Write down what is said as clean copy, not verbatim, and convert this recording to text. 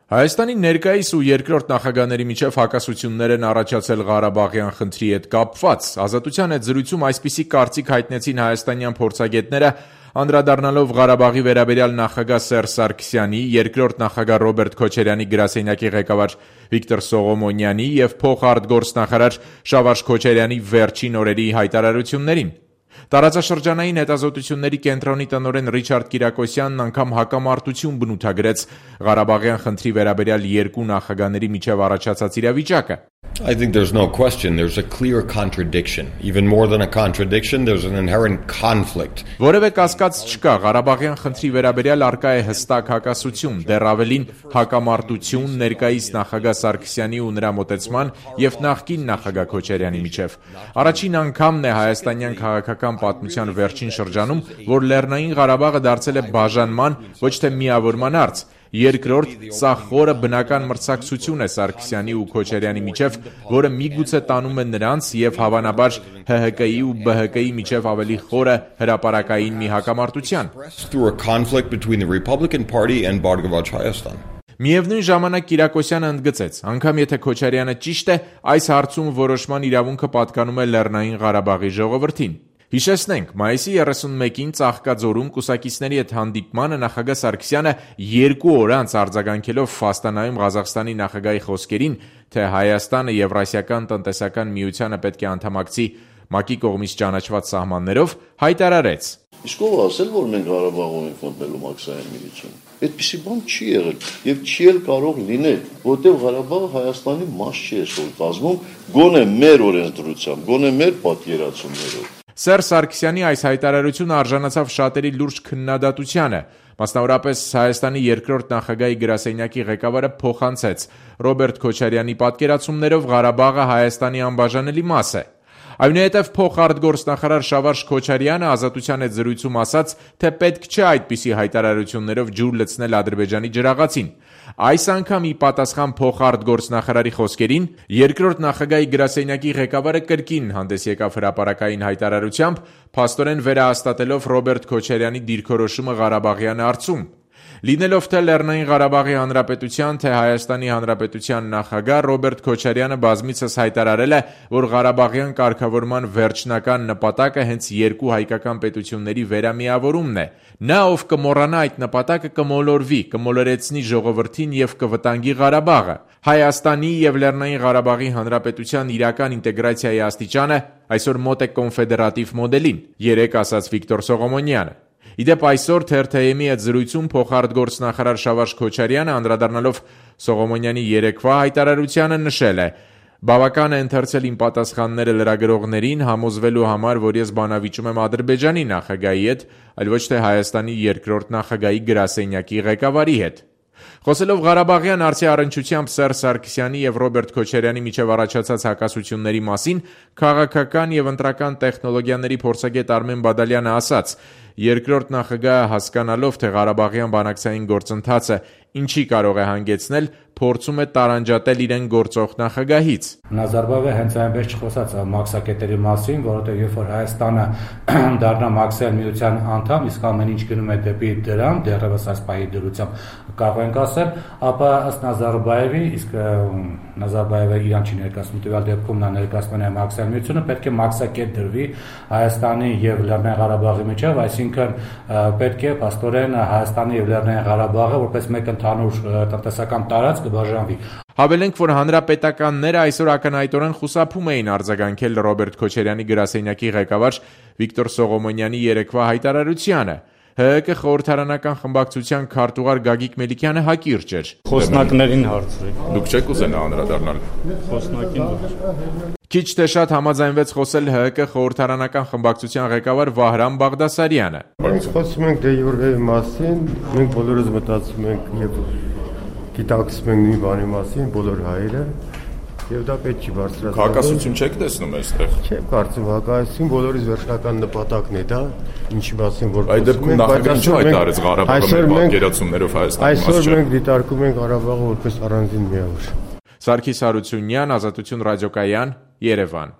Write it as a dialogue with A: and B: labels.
A: Հայաստանի ներկայիս ու երկրորդ նախագահների միջև հակասություններ են առաջացել Ղարաբաղյան խնդրի հետ կապված։ Ազատության հետ զրույցում այսպիսի կարծիք հայտնեցին հայաստանյան փորձագետները, անդրադառնալով Ղարաբաղի վերաբերյալ նախագահ Սերժ Սարգսյանի, երկրորդ նախագահ Ռոբերտ Քոչարյանի գրասենյակի ղեկավար Վիկտոր Սողոմոնյանի և փոխարտգործնախարար Շավարժ Քոչարյանի վերջին օրերի հայտարարություններին։ Տարածաշրջանային հետազոտությունների կենտրոնի տնօրեն Ռիչարդ Կիրակոսյանն անգամ հակամարտություն բնութագրեց Ղարաբաղյան խնդրի վերաբերյալ երկու նախագահների միջև առաջացած իրավիճակը։
B: I think there's no question there's a clear contradiction. Even more than a contradiction, there's an inherent conflict.
A: Որևէ կասկած չկա, Ղարաբաղյան խնդրի վերաբերյալ առկա է հստակ հակասություն, դեռ ավելին հակամարտություն ներկայիս նախագահ Սարգսյանի ու նրա մոտեցման եւ նախկին նախագահ Քոչարյանի միջև։ Առաջին անգամն է հայաստանյան քաղաքական պատմության վերջին շրջանում, որ Լեռնային Ղարաբաղը դարձել է բաժանման, ոչ թե միավորման հարց։ Երկրորդ, սա խորը բնական մրցակցություն է Սարգսյանի ու Քոչարյանի միջև, որը միգուցե տանում է նրանց եւ հավանաբար ՀՀԿ-ի ու ԲՀԿ-ի միջև ավելի խորը հրապարակային մի հակամարտության։ Միևնույն ժամանակ Կիրակոսյանը ընդգծեց, անգամ եթե Քոչարյանը ճիշտ է, այս հարցում որոշման իրավունքը պատկանում է Լեռնային Ղարաբաղի ժողովրդին։ Հիշեցնենք, մայիսի 31-ին Ծաղկաձորում կուսակիցների հետ հանդիպմանը նախագահ Սարգսյանը 2 օր անց արձագանքելով Ֆաստանայում Ղազախստանի նախագահի խոսքերին, թե Հայաստանը Եվրասիական տնտեսական միությանը պետք է անդամակցի ՄԱԿ-ի կողմից ճանաչված սահմաններով, հայտարարեց.
C: Իսկ ով ասել, որ մենք Ղարաբաղում ենք մտնելու մաքսային միություն։ Այդպիսի բան չի եղել եւ չի էլ կարող լինել, որտեղ Ղարաբաղը Հայաստանի մաս չի այսօր կազմում, գոնե մեր օրենսդրությամբ, գոնե մեր պատկերացումներով։
A: Սերժ Սարգսյանի այս հայտարարությունը արժանացավ շատերի լուրջ քննադատությանը, մասնավորապես Հայաստանի երկրորդ նախագահի գրասենյակի ղեկավարը փոխանցեց Ռոբերտ Քոչարյանի պատկերացումներով Ղարաբաղը Հայաստանի անբաժանելի մաս է։ Այնուհետև փոխարտգործնախարար Շավարժ Քոչարյանը ազատության հետ զրույցում ասաց, թե պետք չէ այդպիսի հայտարարություններով ջուր լցնել Ադրբեջանի ջրաղացին։ Այս անգամ ի պատասխան փոխարտգործնախարարի խոսքերին, երկրորդ նախագահի գրասենյակի ղեկավարը կրկին հանդես եկավ հրապարակային հայտարարությամբ, փաստորեն վերահաստատելով Ռոբերտ Քոչարյանի դիրքորոշումը Ղարաբաղյան հարցում։ Լինելով թե Լեռնային Ղարաբաղի Հանրապետության, թե Հայաստանի Հանրապետության նախագահ Ռոբերտ Քոչարյանը բազմիցս հայտարարել է, որ Ղարաբաղյան կարգավորման վերջնական նպատակը հենց երկու հայկական պետությունների վերամիավորումն է։ Նա, ով կմոռանա այդ նպատակը, կմոլորվի, կմոլորեցնի ժողովրդին եւ կվտանգի Ղարաբաղը։ Հայաստանի եւ Լեռնային Ղարաբաղի Հանրապետության իրական ինտեգրացիայի աստիճանը այսօր մոտ է կոնֆեդերատիվ մոդելին, երեկ ասաց Վիկտոր Սողոմոնյանը։ Իդեպ այսօր TRT-ի հետ զրույցում փոխարտգործնախարար Շավարժ Քոչարյանը անդրադառնալով Սողոմոնյանի երեկվա հայտարարությանը նշել է. «Բավական է ընթերցել իմ պատասխանները լրագրողներին համոզվելու համար, որ ես բանավիճում եմ Ադրբեջանի նախագահի հետ, այլ ոչ թե Հայաստանի երկրորդ նախագահի գրասենյակի ղեկավարի հետ»։ Խոսելով Ղարաբաղյան հարցի առնչությամբ Սերժ Սարգսյանի եւ Ռոբերտ Քոչարյանի միջև առաջացած հակասությունների մասին քաղաքական եւ ընտրական տեխնոլոգիաների փորձագետ Արմեն Բադալյանը ասաց. երկրորդ նախագահը հասկանալով, թե Ղարաբաղյան բանակցային գործընթացը ինչի կարող է հանգեցնել, փորձում է տարանջատել իրեն գործող նախագահից։
D: Նազարբայևը հենց այնպես չխոսած մաքսակետերի մասին, որովհետև երբ որ Հայաստանը դառնա մաքսային միության անդամ, իսկ ամեն ինչ գնում է դեպի դրան, դեռևս այս պահի դրությամբ կարող ենք ասել, ապա ըստ Նազարբայևի, իսկ Նազարբայևը իրան չի ներկայացնում, տվյալ դեպքում նա ներկայացնում է մաքսային միությունը, պետք է մաքսակետ դրվի Հայաստանի եւ Լեռնային Ղարաբաղի միջև, այսինքն պետք է փաստորեն Հայաստանի եւ Լեռնային Ղարաբաղը որպես մեկ ընդհանուր տնտեսական տարածք բաժանվի։
A: Հավելենք, որ հանրապետականները այսօր ակնհայտորեն խուսափում էին արձագանքել Ռոբերտ Քոչարյանի գրասենյակի ղեկավար Վիկտոր Սողոմոնյանի երեկվա հայտարարությանը։ ՀՀԿ խորհրդարանական խմբակցության քարտուղար Գագիկ Մելիքյանը հակիրճ էր։
E: Խոսնակներին հարցրեք։
A: Դուք չեք ուզենա անդրադառնալ։
E: Խոսնակին։
A: Քիչ թե շատ համաձայնվեց խոսել ՀՀԿ խորհրդարանական խմբակցության ղեկավար Վահրամ Բաղդասարյանը։
F: Մենք խոսում ենք դե յուրեի մասին, մենք բոլորս մտածում ենք եւ գիտակցում ենք մի բանի մասին, բոլոր հայերը, եւ դա պետք չի բարձրացնել։
A: Հակասություն չեք տեսնում այստեղ։
F: Չեմ կարծում հակասություն, բոլորիս վերջնական նպատակն է դա, ինչի մասին որ
A: այդ դեպքում նախագահն չի հայտարարեց Ղարաբաղի պատկերացումներով Հայաստանի մասը։
F: Այսօր մենք դիտարկում ենք Ղարաբաղը որպես առանձին միավոր։
A: Սարգիս Հարությունյան, Ազատություն ռադիոկայան, Երևան։